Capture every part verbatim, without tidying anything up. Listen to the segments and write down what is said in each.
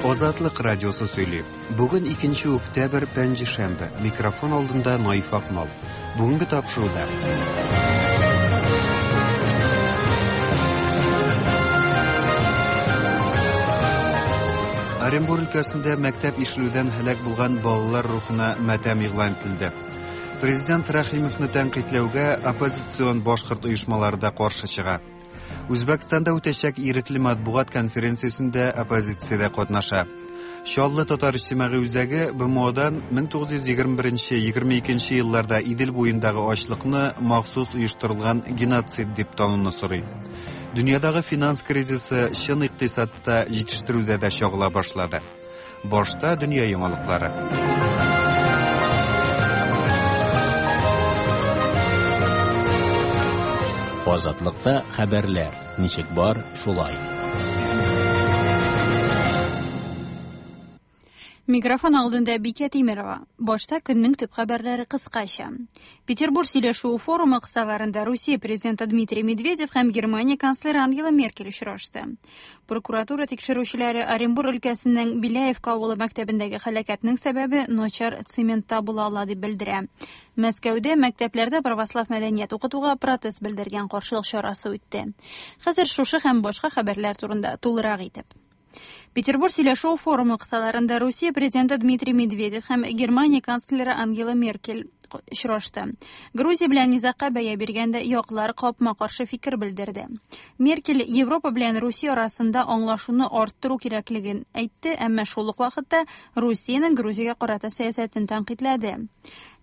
Азатлык радиосы сөйли. Бүген икенче октябрь, пәнҗешәмбе. Микрофон алдында Наиф Акмал. Бүгенге тапшыруда. Оренбур өлкәсендә мәктәп ишелүдән һәлак булган балалар рухына матәм игълан ителде. Президент Рәхимовны тәнкыйтьләүгә оппозицион башкорт оешмалары да каршы чыга. Үзбәкстанда үтәчәк ирекле матбугат конференциясендә оппозиция дә катнаша. Чаллы татар иҗтимагый үзәге Б М Одан мең тугыз йөз егерме беренче егерме икенче елларда Идел буендагы ачлыкны махсус оештырылган геноцид дип тануны сорый. Дөньядагы финанс кризисы чын икътисадта җитештерүдә дә чагыла башлады. Башта дөнья яңалыклары. Азатлыкта хәбәрләр ничек бар, шулай. Микрофон алдында Бикә Тимирова. Башта көннең төп хәбәрләре кыскача. Петербург сөйләшүе форумы кысаларында Русия президенты Дмитрий Медведев һәм Германия канцлеры Ангела Меркель очрашты. Прокуратура тикшерүчеләре Оренбур өлкәсенең Беляевка авылы мәктәбендәге һәлакәтнең сәбәбе начар цементта була ала дип белдерә. Мәскәүдә мәктәпләрдә православ мәдәният укытуга протест белдергән каршылык чарасы үтте. Хәзер шушы һәм башка хәбәрләр турында тулырак итеп. Петербург сөйләшү форумы кысаларында Русия президенты Дмитрий Медведев һәм Германия канцлеры Ангела Меркель очрашты. Грузия белән низагка бәя биргәндә яклар капма-каршы фикер белдерде. Меркель Европа белән Русия арасында аңлашуны арттыру кирәклеген әйтте, әмма шул ук вакытта Русиянең Грузиягә карата сәясәтен тәнкыйтьләде.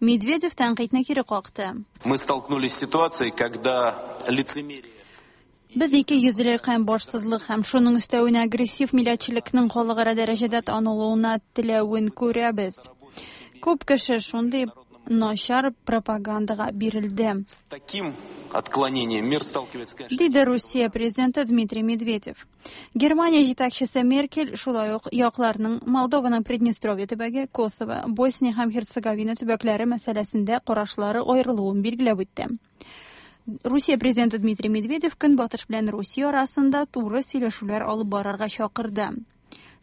Медведев тәнкыйтьне кире какты. Мы столкнулись с ситуацией, когда лицемерие Без ике йөзлелек һәм башсызлык һәм шуның өстәвенә агрессив милләтчелекнең халыкара дәрәҗәдә танылуына теләвен күрәбез. Күп кеше шундый начар пропагандага бирелде. С таким отклонением мир сталкивается, конечно. Диде Русия президенты Дмитрий Медведев. Германия җитәкчесе Меркель шулай ук якларның Молдованың Приднестровье төбәге, Косово, Босния һәм Герцеговина төбәкләре мәсьәләсендә карашлары аерылуын билгеләп үтте. Русия президенты Дмитрий Медведев Көнбатыш белән Русия арасында туры сөйләшүләр алып барырга чакырды.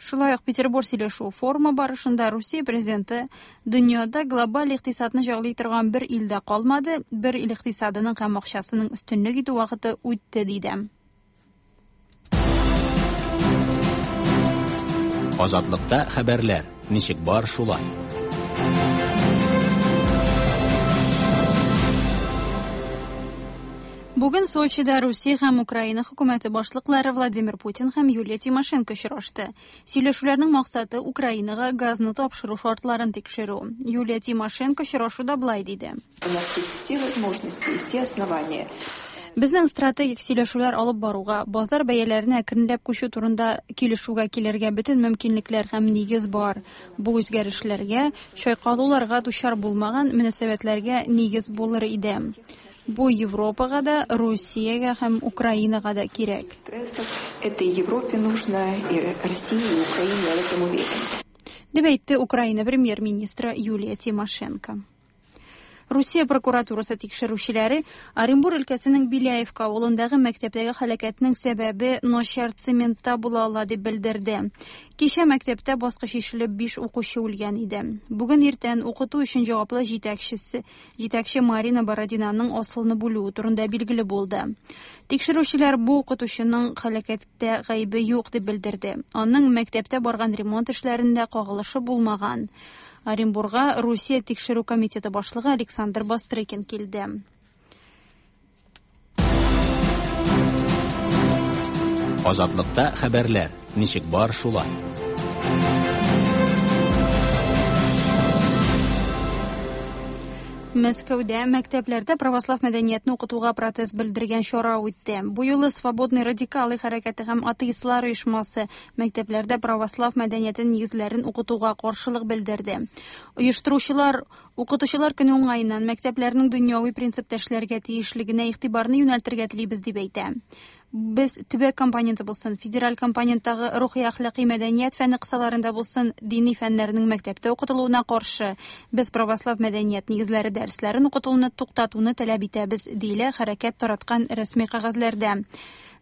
Шулай ук Петербург сөйләшү форумы барышында Русия президенты дөньяда глобаль икътисадны җайлый торган бер ил дә калмады, бер ил икътисадының һәм акчасының өстенлек итү вакыты үтте, диде. Азатлыкта хәбәрләр ничек бар, шулай. Бүген Сочида Русия һәм Украина хөкүмәте башлыклары Владимир Путин һәм Юлия Тимошенко очрашты. Сөйләшүләрнең максаты Украинага газны тапшыру шартларын тикшерү. Юлия Тимошенко очрашуда былай диде. У нас есть все возможности и все основания. Безнең стратегик сөйләшүләр алып баруга, базар бәяләренә әкренләп күчү турында килешүгә килергә бөтен мөмкинлекләр һәм нигез бар. Бу үзгәрешләргә, чайкалуларга дучар булмаган мөнәсәбәтләргә нигез булыр иде. Бу Европага да, Русиягә һәм Украинага да кирәк. Стрессов это и Европе нужно, и России, и Украине, я в этом уверен. Дип әйтте Украина премьер-министры Юлия Тимошенко. Русия прокуратурасы тикшерүчеләре Оренбур өлкәсенең Беляевка авылындагы мәктәптәге һәлакәтнең сәбәбе начар цементта була ала дип белдерде. Кичә мәктәптә баскыч ишелеп биш укучы үлгән иде. Бүген иртән укыту өчен җаваплы җитәкчесе, җитәкче Марина Бородинаның асылны бүлүе турында билгеле булды. Тикшерүчеләр бу укытучының һәлакәттә гаебе юк дип белдерде. Аның мәктәптә барган ремонт эшләрендә кагылышы булмаган. Оренбурга Русия тикшерү комитеты башлыгы Александр Бастрыкин килде. Азатлыкта хәбәрләр ничек бар, шулай. Мәскәүдә мәктәпләрдә православ мәдәниятне укытуга протест белдергән чара үтте. Бу юлы Свободный радикалы хәрәкәте һәм атеистлар оешмасы мәктәпләрдә православ мәдәниятен нигезләрен укытуга каршылык белдерде. Оештыручылар укытучылар көне уңаеннан мәктәпләрнең дөньяви принципта эшләргә тиешлегенә игътибарны юнәлтергә телибез дип әйтә. Без төбәк компоненты булсын, федераль компоненттагы рухи әхлакый мәдәният фәне кысаларында булсын, дини фәннәрнең мәктәптә укытылуына каршы. Без православ мәдәният нигезләре дәресләрен укытылуны туктатуны таләп итәбез, диелә хәрәкәт тараткан рәсми кәгазьләрдә.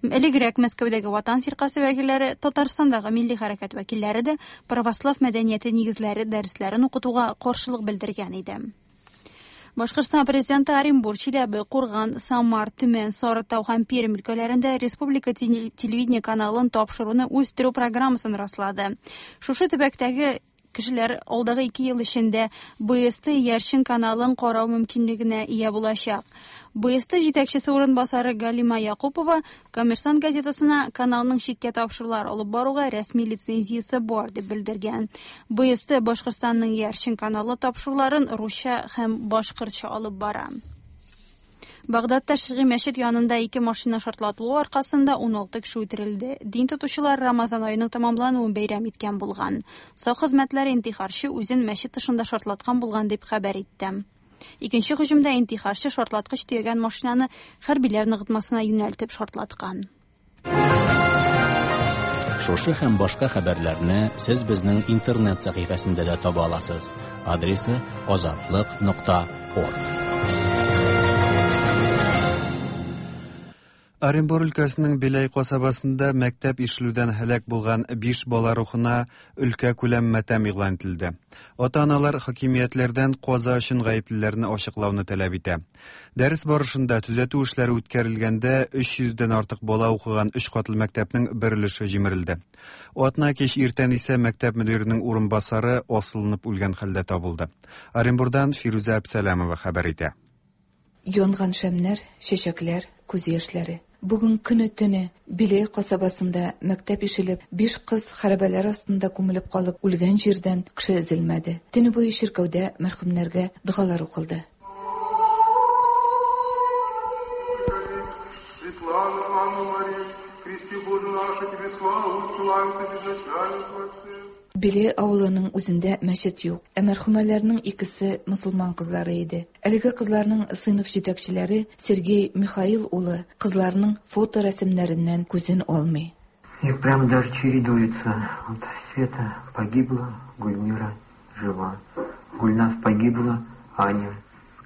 Элегрәк Мәскәүдәге Ватан фиркасе вәкилләре, Татарстандагы милли хәрәкәт вәкилләре дә православ мәдәнияте нигезләре дәресләрен укытуга каршылык белдергән иде. Башкортстан президенты Оренбург, Чиләбе, Курган, Самар, Төмән, Сарытау һәм Пермь өлкәләрендә республика телевидение каналын тапшыруны үстерү программасын раслады. Шушы төбәктәге кешеләр алдагы ике ел эчендә Б С Т Ярчын каналын карау мөмкинлегенә ия булачак. Б С Т җитәкчесе урынбасары Галима Якупова Коммерсант газетасына каналның читкә тапшырулар алып баруга рәсми лицензиясе бар дип белдергән. Б С Т Башкортстанның Ярчын каналы тапшыруларын русча һәм башкортча алып бара. Багдадта Шигый мәчет янында ике машина шартлатылуы аркасында ун алты кеше үтерелде. Дин тотучылар Рамазан аеның тәмамлануын бәйрәм иткән булган. Сак хезмәтләре интихарчы үзен мәчет тышында шартлаткан булган дип хәбәр итте. Икенче һөҗүмдә интихарчы шартлаткыч төягән машинаны хәрбиләр ныгытмасына юнәлтеп шартлаткан. Шушы һәм башка хәбәрләрне сез безнең интернет сәхифәсендә дә таба аласыз. Адресы азатлык нокта орг. Оренбур өлкәсенең Беләй касабасында мәктәп ишелүдән һәлак булган биш бала рухына өлкә күләм матәм игълан ителде. Ата-аналар хакимиятләрдән каза өчен гаеплеләрне ачыклауны таләп итә. Дәрес барышында төзәтү эшләре үткәрелгәндә өч йөздән артык бала укыган өч катлы мәктәпнең бер өлеше җимерелде. Атна кич иртән исә мәктәп мөдиренең урынбасары асылынып үлгән хәлдә табылды. Оренбурдан Фирүзә Әбсәләмова хәбәр итә. Янган шәмнәр, чәчәкләр, күз яшьләре. Бүген көне төне Беләй касабасында мәктәп ишелеп, биш кыз хәрабәләр астында күмелеп калып үлгән җирдән кеше өзелмәде. Төне буе чиркәүдә мәрхүмнәргә догалар укылды. Беләй авылының үзендә мәчет юк, ә мәрхүмәләрнең икесе мөселман кызлары иде. Әлеге кызларның сыйныф җитәкчеләре Сергей Михаил улы кызларның фоторәсемнәреннән күзен алмый. Их прям даже чередуются. Вот Света погибла, Гульмира жива. Гульнас погибла, Аня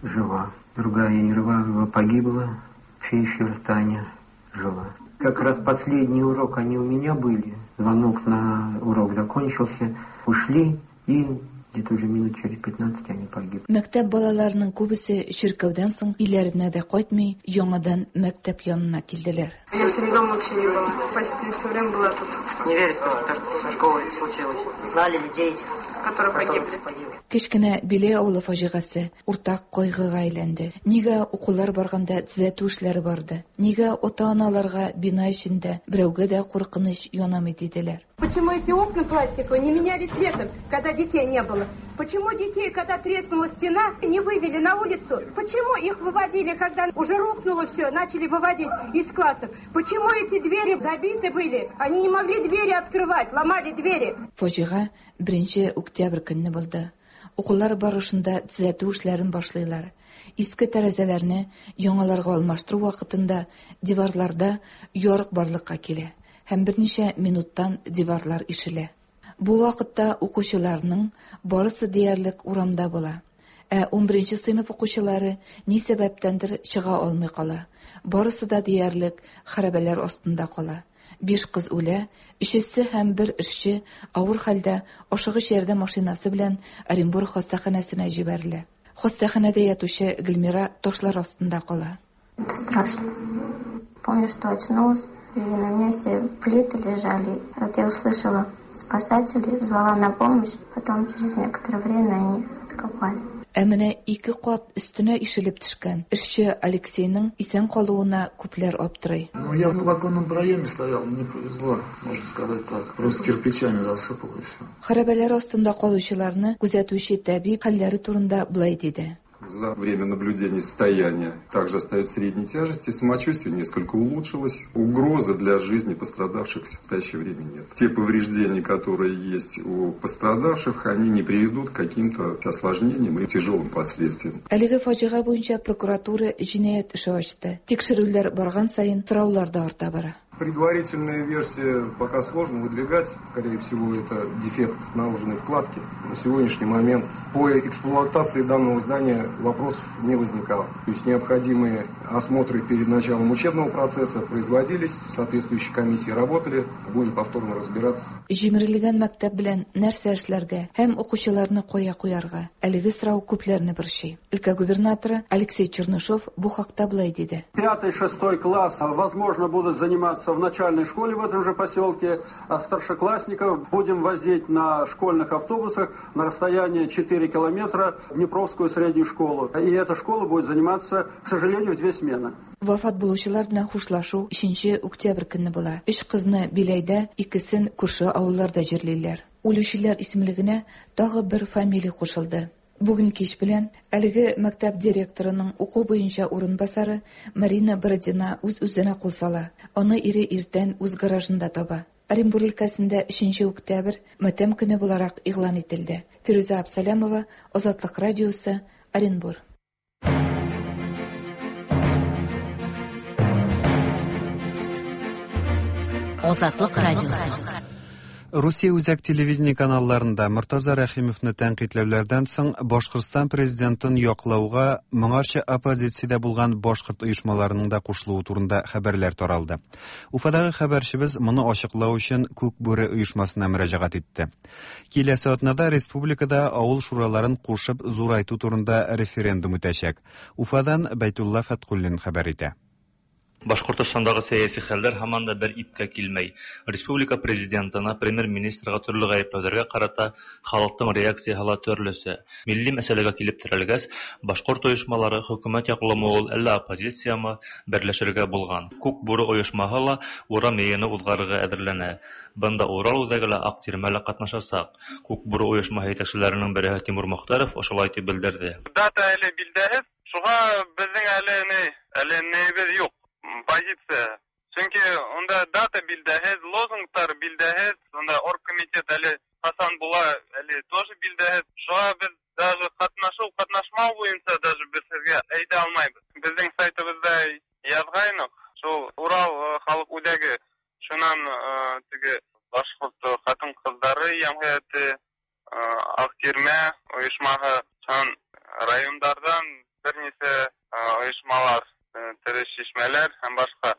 жива. Другая Ерваева погибла, Фишер Таня жива. Как раз последний урок они у меня были. Звонок на урок закончился, ушли, и где-то уже минут через пятнадцать они погибли. Мәктәп балаларының күбесе чиркәүдән соң өйләренә дә кайтмый, яңадан мәктәп янына килделәр. Я сегодня дома вообще не была. Почти все время была тут. Не верится просто то, что со школой случилось. Знали людей этих, которые погибли. Кечкенә Беләй авылы фаҗигасе уртак кайгыга әйләнде. Нигә укулар барганда төзәтү эшләре барды? Нигә ата-аналарга бина эчендә берәүгә дә куркыныч янамый диделәр? Почему эти окна пластиковые не менялись летом, когда детей не было? Почему детей, когда треснула стена, не вывели на улицу? Почему их выводили, когда уже рухнуло все, начали выводить из классов? Почему эти двери забиты были? Они не могли двери открывать, ломали двери. Фаҗига беренче октябрь көнне булды. Укулар барышында төзәтү эшләрен башлыйлар. Иске тәрәзәләрне яңаларга алмаштыру вакытында диварларда ярык барлыкка килә һәм берничә минуттан диварлар ишелә. Бу вакытта укучыларның барысы диярлек урамда була. Ә унберенче сыйныф укучылары ни сәбәптәндер чыга алмый кала. Барысы да диярлек хәрабәләр астында кала. Биш кыз үлә, өчесе һәм бер эшче авыр хәлдә ашыгыч ярдәм машинасы белән Оренбург хастаханәсенә җибәрелә. Хастаханәдә ятучы Гөлмира ташлар астында кала. Это страшно. Помню, что очнулась, и на меня все плиты лежали. Вот я услышала спасателей, звала на помощь, потом через некоторое время они откопали. Ә менә ике кат өстенә ишелеп төшкән эшче Алексейның исән калуына күпләр аптырый. Ну, я в оконном проеме стоял, мне повезло, можно сказать так. Просто кирпичами засыпало и все. Хәрабәләр астында калучыларны күзәтүче табиб хәлләре турында былай диде. За время наблюдения состояние также остается средней тяжести, самочувствие несколько улучшилось, угрозы для жизни пострадавших в настоящее время нет. Те повреждения, которые есть у пострадавших, они не приведут к каким-то осложнениям и тяжелым последствиям. Әлеге фаҗига буенча прокуратура җинаять эше ачты. Тикшерүләр барган саен сораулар да арта бара. Предварительная версия пока сложно выдвигать. Скорее всего, это дефект наложенной вкладки. На сегодняшний момент по эксплуатации данного здания вопросов не возникало. То есть необходимые осмотры перед началом учебного процесса производились, соответствующие комиссии работали. Будем повторно разбираться. Җимерелгән мәктәп белән нәрсә эшләргә һәм укучыларны кая куярга? Әлеге сорау күпләрне борчый. Өлкә губернаторы Алексей Чернышов бу хакта болай диде. Пятый, шестой класс, возможно, будут заниматься в начальной школе в этом же поселке, а старшеклассников будем возить на школьных автобусах на расстояние четыре километра в Днепровскую среднюю школу. И эта школа будет заниматься, к сожалению, в две смены. Вафат булучылар белән хушлашу өченче октябрь көнне була. Өч кызны Биләйдә, икесен күрше авылларда җирлиләр. Үлүчеләр исемлегенә тагы бер фамилия кушылды. Бүген кич белән әлеге мәктәп директорының уку буенча урынбасары Марина Бородина үз-үзенә кул сала. Аны ире иртән үз гаражында таба. Оренбур өлкәсендә өченче октябрь матәм көне буларак игълан ителде. Фирүзә Абсалямова, Азатлык радиосы, Оренбур. Азатлык радиосы. Русия үзәк телевидение каналларында Мортаза Рәхимовны тәнкыйтьләүләрдән соң Башкортстан президентын яклауга моңарчы оппозициядә булган башкорт оешмаларының да кушылуы турында хәбәрләр таралды. Уфадагы хәбәрчебез моны ачыклау өчен Күк бүре оешмасына мөрәҗәгать итте. Киләсе атнада республикада авыл шураларын кушып зурайту турында референдум үтәчәк. Уфадан Бәйтулла Фәткуллин хәбәр итә. Башкортостандагы сәяси хәлләр һаман да бер ипкә килмәй. Республика президентына, премьер-министрга төрле гаепләүләргә карата халыктың реакцияһы ла төрлесе. Милли мәсьәләгә килеп терәлгәс, башкорт оешмалары хөкүмәт яклымы ул, әллә оппозициямы берләшергә булган. Күк бүре оешмаһы ла урам йыйыны узгарырга әзерләнә. Бында Урал үҙәге лә, Аҡ тирмә лә ҡатнашасаҡ. Күк бүре оешмаһы етәкселәренең береһе Тимур Мөхтәров ошолай тип белдерҙе. Дата әле билдәһеҙ, шуға беҙҙең әле ни, әле нейебеҙ юҡ. Позиция. Сөнки унда дата билдәһеҙ, лозунгтар билдәһеҙ, унда оргкомитет әле ҡасан була, әле тоже билдәһеҙ. Шуға беҙ даже ҡатнашыу, ҡатнашмау буйынса даже беҙ һеҙгә әйтә алмайбыҙ. Беҙҙең сайтыбыҙҙа яҙғайныҡ, шул Урал халыҡ үҙәге, шунан теге башҡорт ҡатын-ҡыҙҙары йәмғиәте, Аҡ тирмә ойошмаһы, шунан райондарҙан бер нисә ойошмалар, тере шишмәләр һәм башҡа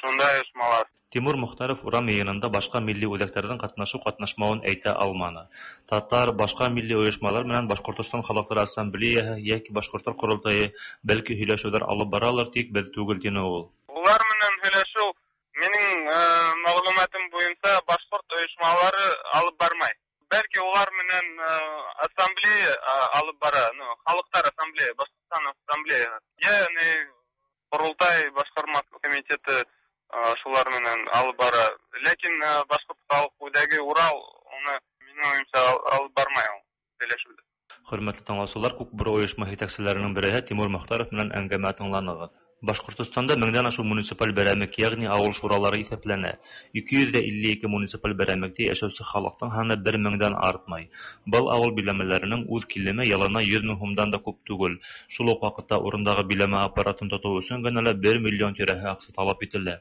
шундай ойошмалар. Тимур Мөхтәров урам йыйынында башҡа милли үҙәктәрҙең ҡатнашыу-ҡатнашмауын әйтә алманы. Татар, башҡа милли ойошмалар менән Башҡортостан халыҡтары ассамблеяһы йәки Башҡорттар ҡоролтайы бәлки һөйләшеүҙәр алып баралыр, тик беҙ түгел, тине ул. Улар менән һөйләшеү минең мәғлүмәтем буйынса башҡорт ойошмалары алып бармай. Бәлки улар менән ассамблея алып бара, ну, халыҡтар ассамблея, Башҡортостан ассамблеяһы. Йәни Ҡоролтай башҡарма комитеты шулар менән алып бара. Ләкин Башҡорт халыҡ үҙәге Урал уны минең уйымса алып бармай ул һөйләшеүҙе. Хөрмәтле тыңлаусылар, Күк бүре ойошма етәкселәренең береһе Тимур Мөхтәров менән әңгәмә тыңланығыҙ. Башҡортостанда меңдән ашыу муниципаль берәмек, йәғни ауыл шуралары иҫәпләнә. ике йөҙ илле ике муниципаль берәмектә йәшәүсе халыҡтың һаны бер меңдән артмай. Был ауыл биләмәләренең үҙ килеме йылына йөҙ мең һумдан да күп түгел. Шул уҡ ваҡытта урындағы биләмә аппаратын тотоу өсөн генә лә бер миллион тирәһе аҡса талап ителә.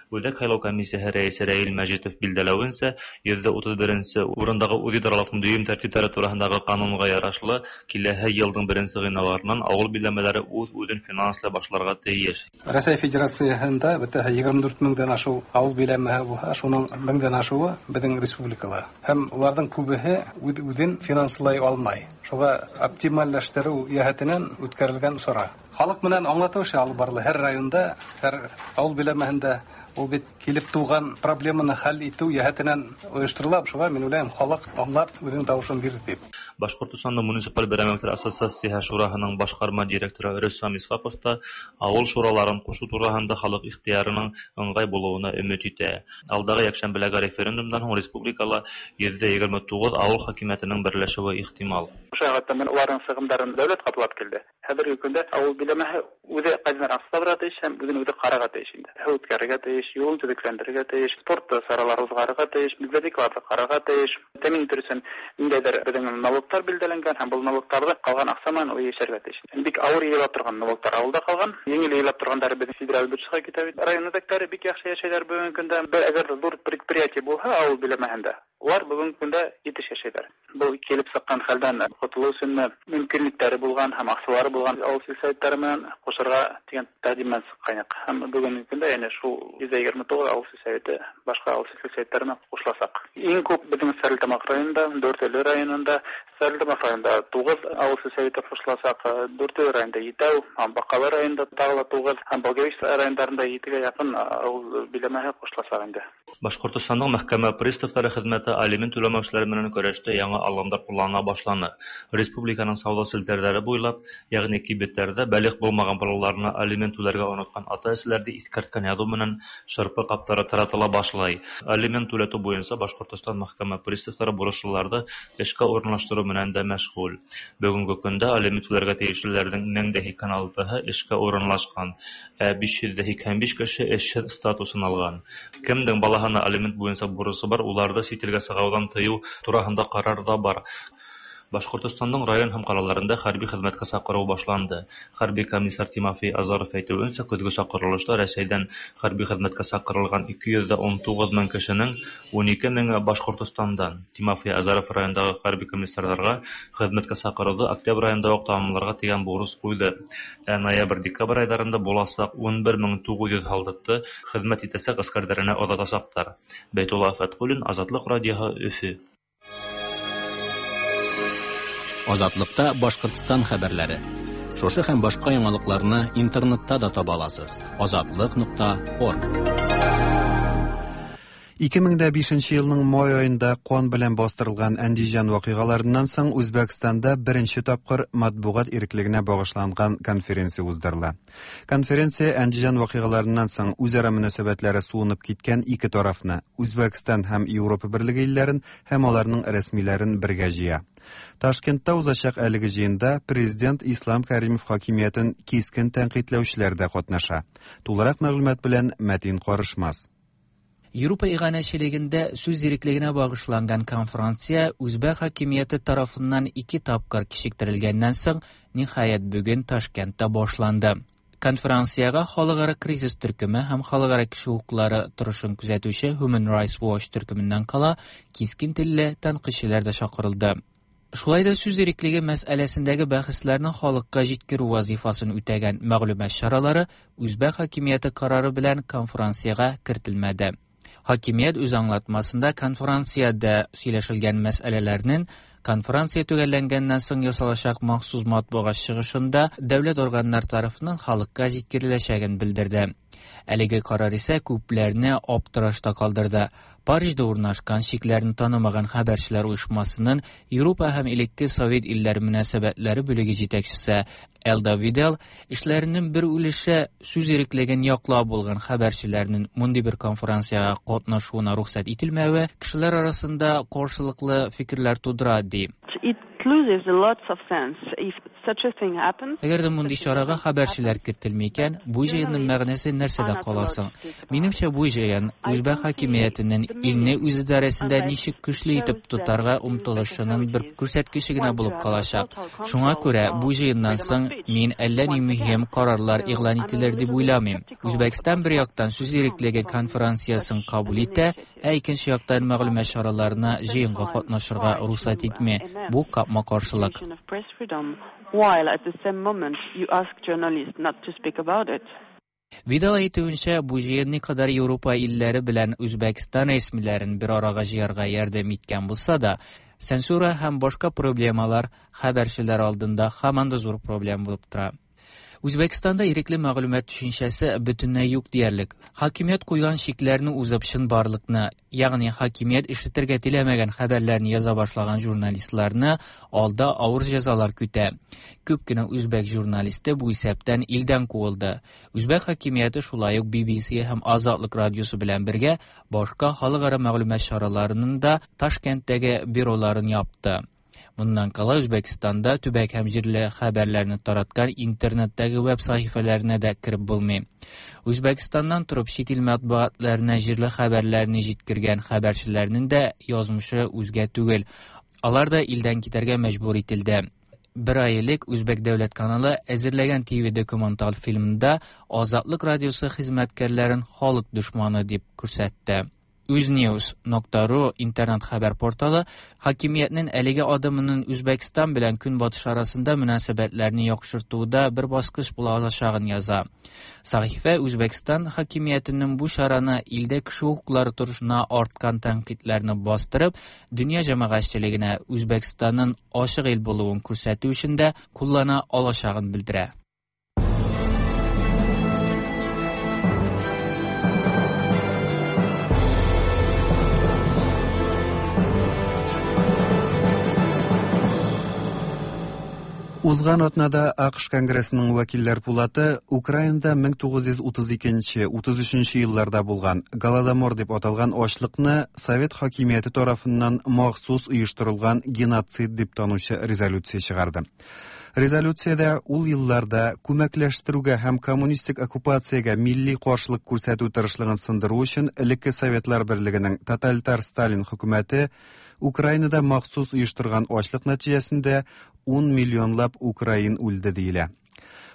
Үҙәк һайлау комиссияһы рәйесе Рәил Мәжитов билдәләүенсә, йөҙҙә утыҙ беренсе урындағы үҙидаралыҡтың дөйөм тәртиптәре тураһындағы ҡанунға ярашлы, киләһе йылдың беренсе ғинуарынан ауыл биләмәләре үҙ-үҙен финанслай башларға тейеш. Рәсәй Федерацияһында бөтәһе егерме дүрт меңдән ашыу ауыл биләмәһе булһа, шуның меңдән ашыуы беҙҙең республикала. Һәм уларҙың күбеһе үҙ-үҙен финанслай алмай. Шуға оптимальләштереү йәһәтенән үткәрелгән сара. Халыҡ менән аңлатыу эше алып барыла һәр районда, һәр ауыл биләмәһендә. Ул бит килеп тыуған проблеманы хәл итеү йәһәтенән ойошторола. Шуға мин уйлайым, халыҡ аңлап үҙенең тауышын бирер тип. Башҡортостандың муниципаль берәмектәр ассоциацияһы шураһының башҡарма директоры Рөстәм Исхаҡов та ауыл шураларын ҡушыу тураһында халыҡ ихтыярының ыңғай булыуына өмөт итә. Алдағы йәкшәмбеләге референдумдан һуң республикала йөҙҙә егерме туғыҙ ауыл хакимиәтенең берләшеүе ихтимал. Ошо менән уларҙың сығымдарын дәүләт ҡаплап килде. Хәҙерге көндә ауыл биләмәһе үҙе ҡайҙан аҡса табырға тейеш һәм үҙен үҙе ҡарарға тейеш инде. Һыу үткәрергә тейеш, юлын төҙөкләндерергә тейеш, спорт саралары уҙғарырға тейеш, библиотекаларҙы ҡарарға тейеш. Тәьмин итер өсөн ниндәйҙер беҙҙең налог Налогтар билдәләнгән һәм был налогтарҙы ҡалған аҡса менән ул йәшәргә тейеш. Бик ауыр йыйыла торған налогтар ауылда ҡалған, еңел йыйыла торғандары беҙҙең федераль бюджетҡа китә бит. Район үҙәктәре бик яҡшы йәшәйҙәр бөгөнгө көндә. Бер әгәр ҙә ҙур предприятие булһа ауыл биләмәһендә, улар бөгөнгө көндә етеш йәшәйҙәр. Был килеп сыҡҡан хәлдән ҡотолоу өсөн мөмкинлектәре булған һәм аҡсалары булған ауыл сельсоветтары менән ҡушырға тигән тәҡдим менән сыҡҡайныҡ. Һәм бөгөнгө көндә йәнә шул йөҙ егерме туғыҙ ауыл сельсоветы башҡа ауыл сельсоветтары менән ҡушыласаҡ. Иң күп беҙҙең Стәрлетамаҡ районында, Дүртөйлө районында, Стәрлетамаҡ районында туғыҙ ауыл сельсоветы ҡушыласаҡ, Дүртөйлө районында етәү, һәм Баҡалы районында тағы ла туғыҙ, һәм Благовещ райондарында етегә яҡын ауыл биләмәһе ҡушыласаҡ инде. Башҡортостандың мәхкәмә приставтары хеҙмәте алимент түләмәүселәр менән көрәштә яңы алымдар ҡуллана башланы. Республиканың сауҙа селтәрҙәре буйлап, йәғни кибеттәрҙә бәлиғ булмаған балаларына алимент түләргә онотҡан ата-әсәләрҙе иҫкәрткән яҙыу менән шырпы ҡаптары таратыла башлай. Алимент түләтеү буйынса Башҡортостан мәхкәмә приставтары бурыслыларҙы эшкә урынлаштырыу менән дә мәшғүл. Бөгөнгө көндә алимент түләргә тейешлеләрҙең мең дә һикһән алтыһы эшкә урынлашҡан, ә биш йөҙ ҙә һикһән биш кеше эшһеҙ статусын алған. Кемдең балаһына алимент буйынса бурысы бар, уларҙы сит илгә сығыуҙан тыйыу тураһында ҡарар ҙа бар. Башҡортостандың район һәм ҡалаларында хәрби хеҙмәткә саҡырыу башланды. Хәрби комиссар Тимофей Азаров әйтеүенсә, көҙгө саҡырылышта Рәсәйҙән хәрби хеҙмәткә саҡырылған ике йөҙ ун туғыҙ мең кешенең ун ике меңе Башҡортостандан. Тимофей Азаров райондағы хәрби комиссарҙарға хеҙмәткә саҡырыуҙы октябрь айында уҡ тамамларға тигән бурыс ҡуйҙы. Ә ноябрь-декабрь айҙарында буласаҡ ун бер мең туғыҙ йөҙ һалдатты хеҙмәт итәсәк ғәскәрҙәренә оҙатасаҡтар. Бәйтулла Фәтҡуллин, Азатлыҡ радиоһы, Өфө. Азатлыкта Башҡортостан хәбәрләре. Шушы һәм башҡа яңалыҡларны интернетта да таба аласыз. азатлык нокта орг. ике мең дә бишенче елның май айында ҡан белән бастырылған Әндижан ваҡиғаларынан соң Үзбәкстанда беренче тапҡыр матбуғат иреклегенә бағышланған конференция уздырыла. Конференция Әндижан ваҡиғаларынан соң үҙ-ара мөнәсәбәтләре суынып киткән ике тарафны, Үзбәкстан һәм Европа Берлеге илләрен һәм аларның рәсмиләрен бергә җыя. Ташкентта узачак әлеге җыенда президент Ислам Каримов хакимиятен кискен тәнкыйтьләүчеләр дә катнаша. Тулырак мәгълүмат белән Мәтин Карышмас. Европа иғанәчелегендә сүз иреклегенә багышланган конференция үзбәк хакимияте тарафыннан ике тапкыр кичектерелгәннән соң, ниһаять бүген Ташкентта башланды. Конференциягә халыкара кризис төркеме һәм халыкара кеше хокуклары торышын күзәтүче Human Rights Watch төркеменнән кала кискен телле тәнкыйтьчеләр дә чакырылды. Шулай да сүз иреклеге мәсьәләсендәге бәхәсләрне халыкка җиткерү вазифасын үтәгән мәгълүмат чаралары үзбәк хакимияте карары белән конференциягә кертелмәде. Хакимият үз аңлатмасында конференциядә сөйләшелгән мәсьәләләрнең конференция төгәлләнгәннән соң ясалачак махсус матбугат чыгышында дәүләт органнары тарафыннан халыкка җиткереләчәген белдерде. Әлеге карар исә күпләрне аптырашта калдырды. Парижда урнашкан чикләрне танымаган хәбәрчеләр оешмасының Европа һәм элекке Совет илләре мөнәсәбәтләре бүлеге җитәкчесе Элда Видел эшләренең бер өлеше сүз иреклеген яклап булган хәбәрчеләрнең мондый бер конференциягә катнашуына рөхсәт ителмәве кешеләр арасында каршылыклы фикерләр тудыра, ди. It loses lots of sense if such a thing happens. Әгәр дә мондый чарага хәбәрчеләр кертелми икән, бу җыенның мәгънәсе нәрсәдә каласың? Минемчә, бу җыен үзбәк хакимиятенең илне үз идарәсендә ничек көчле итеп тотарга омтылышының бер күрсәткече генә булып калачак. Шуңа күрә бу җыеннан соң мин әллә ни мөһим карарлар игълан ителер дип уйламыйм. Үзбәкстан бер яктан сүз иреклеге конференциясен кабул итә, ә икенче яктан мәгълүмат чараларына җыенга катнашырга рөхсәт итми. Бу капма-каршылык. While at the same moment you ask journalists not to speak about it. Видал әйтүенчә, бу җыен никадәр Европа илләре белән Үзбәкстан рәсмиләрен бер арага җыярга ярдәм иткән булса да, цензура һәм башка проблемалар хәбәрчеләр алдында һаман да зур проблем булып тора. Үзбәкстанда ирекле мәгълүмат төшенчәсе бөтенләй юк диярлек. Хакимият куйган чикләрне узып чынбарлыкны, ягъни хакимият ишетергә теләмәгән хәбәрләрне яза башлаган журналистларны алда авыр җәзалар көтә. Күп кенә үзбәк журналисты бу исәптән илдән куылды. Үзбәк хакимияте шулай ук Би Би Си һәм Азатлык радиосы белән бергә башка халыкара мәгълүмат чараларының да Ташкенттәге бюроларын япты. Моннан кала Үзбәкстанда төбәк һәм җирле хәбәрләрне тараткан интернеттәге веб сәхифәләренә дә кереп булмый. Үзбәкстаннан торып чит ил матбугатларына җирле хәбәрләрне җиткергән хәбәрчеләрнең дә язмышы үзгә түгел. Алар да илдән китәргә мәҗбүр ителде. Бер ай элек Үзбәк дәүләт каналы әзерләгән T V документаль фильмында Азатлык радиосы хезмәткәрләрен халык дошманы дип күрсәтте. Uznews нокта ру интернет хәбәр порталы хакимиятнең әлеге адымының Үзбәкстан белән Көнбатыш арасында мөнәсәбәтләрне яхшыртуда бер баскыч була алачагын яза. Сәхифә Үзбәкстан хакимиятенең бу чараны илдә кеше хокуклары торышына арткан тәнкыйтьләрне бастырып, дөнья җәмәгатьчелегенә Үзбәкстанның ачык ил булуын күрсәтү өчен дә куллана алачагын белдерә. Узган атнада А К Ш Конгрессының вәкилләр пулаты Украинада мең тугыз йөз утыз икенче, утыз өченче елларда булган Голодомор дип аталган ачлыкны Совет хакимияте тарафыннан махсус оештырылган геноцид дип танучы резолюция чыгарды. Резолюциядә ул елларда күмәкләштерүгә һәм коммунистик оккупациягә милли каршылык күрсәтү тырышлыгын сындыру өчен элекке Советлар Берлегенең тоталитар Сталин хөкүмәте Украинада махсус оештырган ачлык нәтиҗәсендә ун миллионлап украин үлде диелә.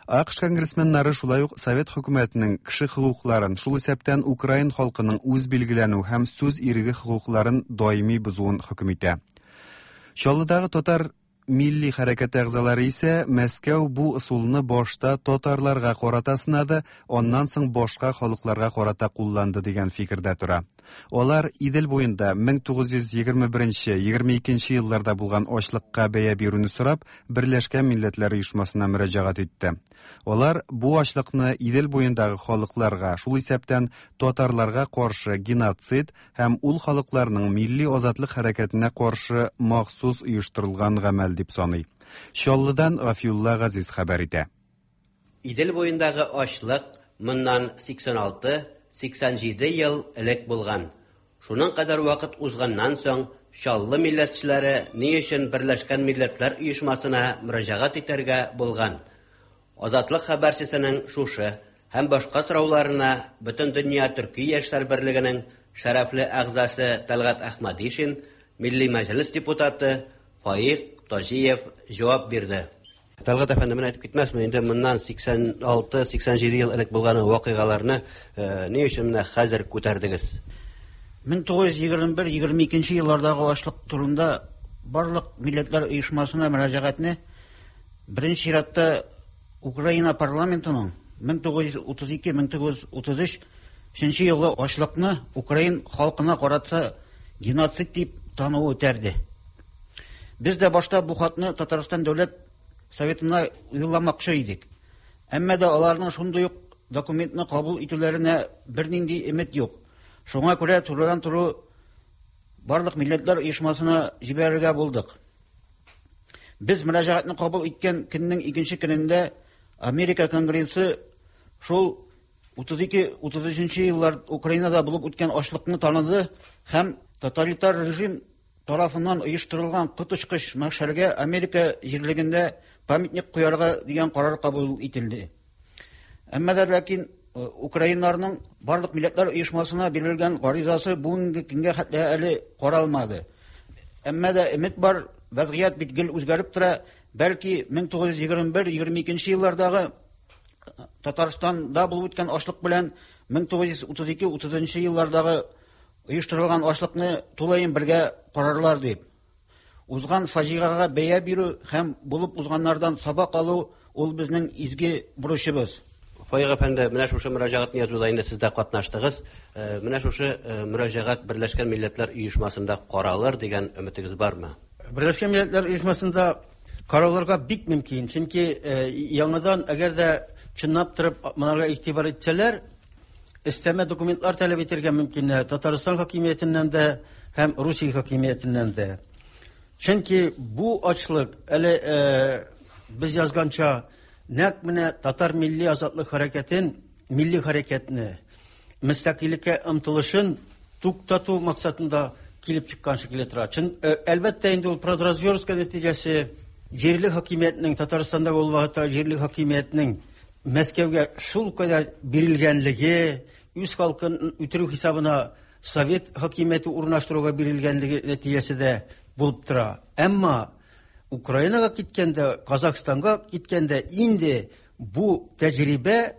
А К Ш конгрессменнары шулай ук Совет хөкүмәтенең кеше хокукларын, шул исәптән украин халкының үз билгеләнү һәм сүз иреге хокукларын даими бозуын хөкем итә. Чаллыдагы татар милли хәрәкәте әгъзалары исә Мәскәү бу ысулны башта татарларга карата сынады, аннан соң башка халыкларга карата кулланды дигән фикердә тора. Алар Идел буенда мең тугыз йөз егерме беренче, егерме икенче елларда булган ачлыкка бәя бирүне сорап, Берләшкән Милләтләр Оешмасына мөрәҗәгать итте. Алар бу ачлыкны Идел буендагы халыкларга, шул исәптән татарларга каршы геноцид һәм ул халыкларның милли азатлык хәрәкәтенә каршы махсус оештырылган гамәл дип саный. Чаллыдан Гафиулла Газиз хәбәр итә. Идел буендагы ачлык моннан сиксән алты, сиксән җиде ел элек булган. Шуның кадәр вакыт узганнан соң Чаллы милләтчеләре ни өчен Берләшкән Милләтләр Оешмасына мөрәҗәгать итәргә булган? Азатлык хәбәрчесенең шушы һәм башка сорауларына Бөтендөнья Төрки яшьләр берлегенең шәрәфле әгъзасы Тәлгать Әхмәдишин, Милли Мәҗлес депутаты Фаик Таҗиев җавап бирде. Тәлгать әфәнде, менә әйтеп китмәсме, инде моннан сиксән алты, сиксән җиде ел элек булган вакыйгаларны ни өчен менә хәзер күтәрдегез? мең тугыз йөз егерме бер, егерме икенче еллардагы ачлык турында барлык милләтләр оешмасына мөрәҗәгатьне беренче чиратта Украина парламентының мең тугыз йөз утыз ике, мең тугыз йөз утыз өч өченче елгы ачлыкны украин халкына карата геноцид дип тануы үтәрде. Без дә башта бу хатны Татарстан дәүләт советына юлламакчы идек. Әмма дә аларның шундый ук документны кабул итүләренә бернинди өмет юк. Шуңа күрә турыдан-туры барлык милләтләр оешмасына җибәрергә булдык. Без мөрәҗәгатьне кабул иткән көннең икенче көнендә Америка Конгрессы шул утыз ике, утыз өченче еллар Украинада булып үткән ачлыкны таныды һәм тоталитар режим тарафыннан оештырылган коточкыч мәхшәргә Америка җирлегендә памятник куярга дигән карар кабул ителде. Әмма дә ләкин украиннарның барлык милләтләр оешмасына бирелгән гаризасы бүгенге көнгә хәтле әле каралмады. Әмма дә өмет бар, вазгыять бит гел үзгәреп тора. Бәлки мең тугыз йөз егерме бер, егерме икенче еллардагы Татарстанда булып үткән ачлык белән мең тугыз йөз утыз ике, утызынчы еллардагы оештырылган ачлыкны тулаем бергә карарлар дип. Узган фаҗигагә бәя бирү һәм булып узганнардан сабак алу ул безнең изге бурычыбыз. Фаик әфәнде, менә шушы мөрәҗәгатьне язуда инде сез дә катнаштыгыз. Менә шушы мөрәҗәгать Берләшкән Милләтләр Оешмасында каралыр дигән өметегез бармы? Берләшкән Милләтләр Оешмасында каралырга бик мөмкин. Чөнки яңадан әгәр дә чынлап торып монарга игътибар итсәләр, өстәмә документлар таләп итәргә мөмкин Татарстан хакимиятеннән дә һәм Русия хакимиятеннән дә. Чөнки бу ачлык әле без язганча нәкъ менә татар милли азатлык хәрәкәтен, милли хәрәкәтне, мөстәкыйльлеккә омтылышын туктату максатында килеп чыккан шикелле тора. Чын, әлбәттә инде ул продразверстка нәтиҗәсе җирле хакимиятнең Татарстанда ул вакытта җирле хакимиятнең Мәскәүгә шул кадәр бирелгәнлеге, үз халкын үтерү хисабына совет хакимияте урнаштыруга бирелгәнлеге нәтиҗәсе дә булып тора. Әмма Украинага киткәндә, Казахстанга киткәндә инде бу тәҗрибә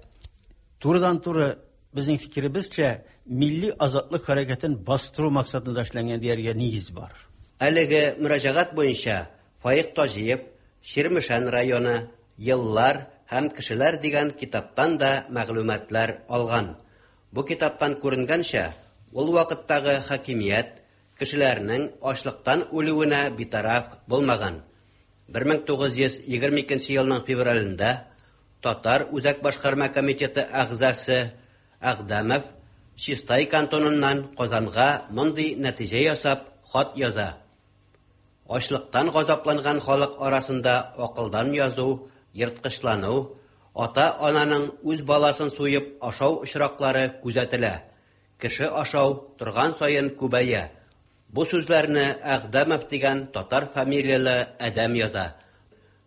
турыдан-туры безнең фикеребезчә милли азатлык хәрәкәтен бастыру максатында эшләнгән дияргә нигез бар. Әлеге мөрәҗәгать буенча Фаик Таҗиев Чирмешән районы Еллар һәм кешеләр дигән китаптан да мәгълүматлар алган. Бу китаптан күренгәнчә, ул вакыттагы хакимият кешеләрнең ачлыктан үлүенә битараф булмаган. бер мең тугыз йөз егерме икенче елның февралендә Татар Үзәк башкарма комитеты әгъзасы Әгъдәмов Чистай кантоныннан Казанга мондый нәтиҗә ясап хат яза. Ачлыктан газапланган халык арасында акылдан язу, ерткычлану, ата-ананың үз баласын суеп ашау очраклары күзәтелә. Кеше ашау торган саен күбәя. Бу сүзләрне Әгъдәмов дигән татар фамилияле адәм яза.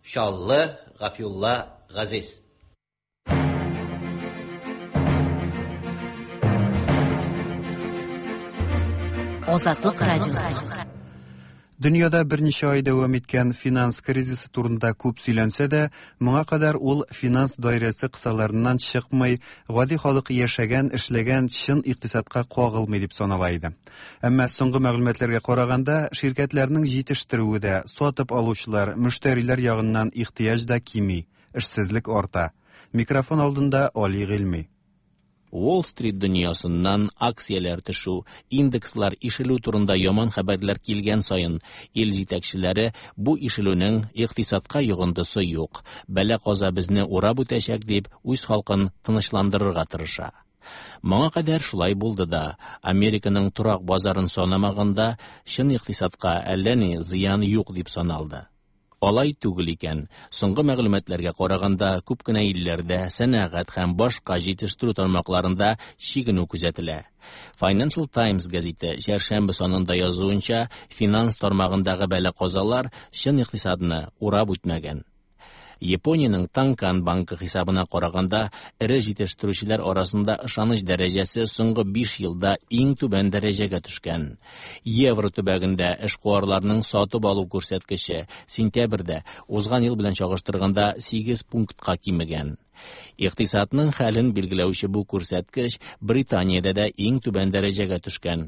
Чаллы Гафиулла Газиз. Азатлык радиосы. Дөньяда берничә ай дәвам иткән финанс кризисы турында күп сөйләнсә дә, моңа кадәр ул финанс даирәсе кысаларыннан чыкмый, гади халык яшәгән, эшләгән чын икътисадка кагылмый дип санала иде. Әмма соңгы мәгълүматларга караганда, ширкәтләрнең җитештерүе дә, сатып алучылар, мөштәриләр ягыннан ихтыяҗ да кими, эшсезлек арта. Микрофон алдында Али Гыйльми. Уолл-стрит дөньясыннан акцияләр төшү, индекслар ишелү турында яман хәбәрләр килгән саен ил җитәкчеләре бу ишелүнең икътисадка йогынтысы юк, бәла-каза безне урап үтәчәк дип үз халкын тынычландырырга тырыша. Моңа кадәр шулай булды да, Американың торак базарын санамаганда чын икътисадка әллә ни зыян юк дип саналды. Алай түгел икән. Соңгы мәгълүматларга караганда, күп кенә илләрдә сәнәгать һәм башка җитештерү тармакларында чигенү күзәтелә. Financial Times гәзите чәршәмбе санында язуынча, финанс тармагындагы бәла-казалар чын икътисадны урап үтмәгән. Япониянең Танкан банкы хисабына караганда, эре җитештерүчеләр арасында ышаныч дәрәҗәсе соңгы биш елда иң түбән дәрәҗәгә төшкән. Евро төбәгендә эшкуарларның сатып алу күрсәткече сентябрьдә узган ел белән чагыштырганда сигез пунктка кимегән. Икътисадның хәлен билгеләүче бу күрсәткеч Британиядә дә иң түбән дәрәҗәгә төшкән.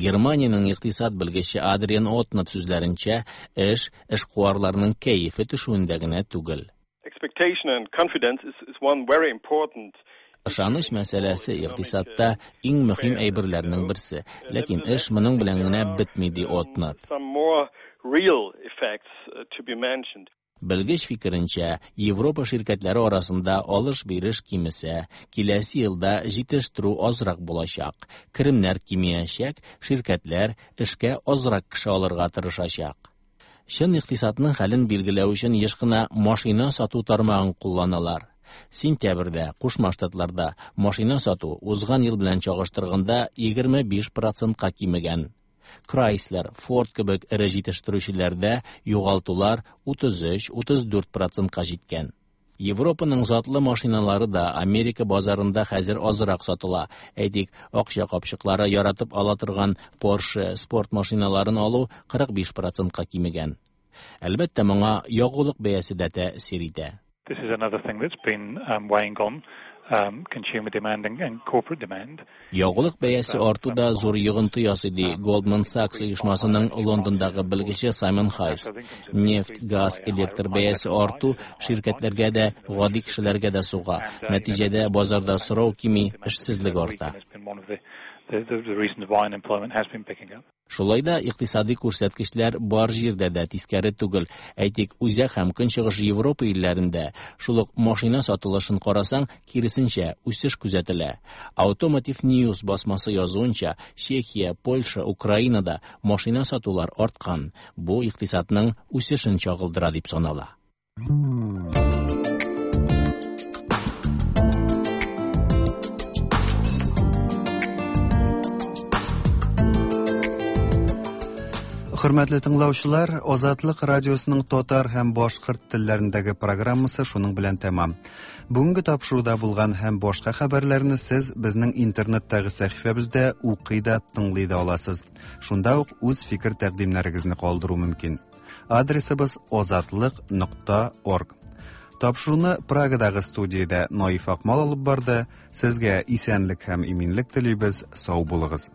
Германиянең икътисад белгече Адриан Отнат сүзләренчә, эш эшкуарларның кәефе төшүендә генә түгел. Expectation and confidence is, is one very important. Ышаныч мәсьәләсе икътисадта иң мөһим әйберләрнең берсе. Ләкин эш моның белән генә бетми, ди Отнат. Some more real effects to be mentioned. Белгеч фикеренчә, Европа ширкәтләре арасында алыш-биреш кимесә, киләсе елда җитештерү азрак булачак, керемнәр кимиячәк, ширкәтләр эшкә азрак кеше алырга тырышачак. Чын икътисадның хәлен билгеләү өчен еш кына машина сату тармагын кулланалар. Сентябрьдә Кушма Штатларда машина сату узган ел белән чагыштырганда егерме биш процентка кимегән. Chrysler, Ford кебек эре җитештерүчеләрдә югалтулар утыз өч, утыз дүрт процентка җиткән. Европаның затлы машиналары да Америка базарында хәзер азрак сатыла. Әйтик, акча капчыклары яратып ала торган Porsche спорт машиналарын алу кырык биш процентка кимегән. Әлбәттә, моңа ягулык бәясе дә тәэсир итә. This is another thing that's been um, weighing on um, consumer demand and, and corporate demand. Ягулык бәясе арту да зур йогынты ясый, ди Goldman Sachs оешмасының Лондондагы белгече Саймон Хайс. Нефть, газ, электр бәясе арту ширкәтләргә дә, гади кешеләргә дә суга. Нәтиҗәдә базарда сорау кими, эшсезлек арта. Шулай да икътисади күрсәткечләр бар җирдә дә тискәре түгел. Әйтик, Үзәк һәм Көнчыгыш Европа илләрендә шул ук машина сатылышын карасаң, киресенчә, үсеш күзәтелә. Automotive News басмасы язуынча, Чехия, Польша, Украинада машина сатулар арткан. Бу икътисадның үсешен чагылдыра дип санала. Хөрмәтле тыңлаучылар, Азатлык радиосының татар һәм башкорт телләрендәге программасы шуның белән тәмам. Бүгенге тапшыруда булган һәм башка хәбәрләрне сез безнең интернеттагы сәхифәбездә укый да, тыңлый да аласыз. Шунда ук үз фикер тәкъдимнәрегезне калдыру мөмкин. Адресыбыз озатлык нокта орг. Тапшыруны Прагадагы студиядә Наиф Акмал алып барды. Сезгә исәнлек һәм иминлек телибез. Сау булыгыз.